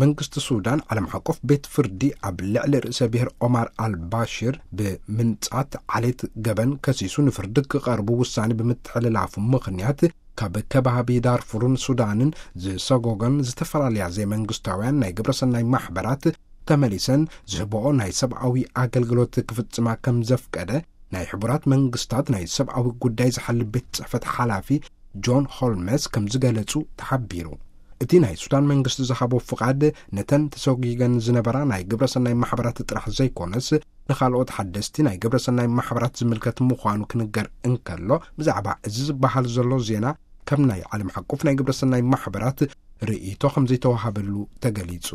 መንግስቲ ሱዳን ዓለም ሓቆፍ ቤት ፍርዲ ኣብ ልዕሊ ርእሰ ብሔር ኦማር ኣልባሽር ብምንጻት ዓሌት ገበን ከሲሱ ንፍርዲ ክቐርቡ ውሳኔ ብምትሕልላፉ ምኽንያት፣ ካብ ከባቢ ዳርፉርን ሱዳንን ዝሰጎገን ዝተፈላለያ ዘይመንግስታውያን ናይ ግብረሰናይ ማሕበራት ተመሊሰን ዝህብኦ ናይ ሰብኣዊ ኣገልግሎት ክፍጽማ ከም ዘፍቀደ ናይ ሕቡራት መንግስታት ናይ ሰብኣዊ ጉዳይ ዝሓልፍ ቤት ጽሕፈት ሓላፊ ጆን ሆልመስ ከም ዝገለጹ ተሓቢሩ። እቲ ናይ ሱዳን መንግስቲ ዝሃቦ ፍቓድ ነተን ተሰጒገን ዝነበራ ናይ ግብረሰናይ ማሕበራት ጥራሕ ዘይኮነስ፣ ንኻልኦት ሓደስቲ ናይ ግብረሰናይ ማሕበራት ዝምልከት ምዃኑ ክንገር እንከሎ፣ ብዛዕባ እዚ ዝበሃል ዘሎ ዜና ከም ናይ ዓለም ሓቆፍ ናይ ግብረሰናይ ማሕበራት ርእይቶ ከም ዘይተዋሃበሉ ተገሊጹ።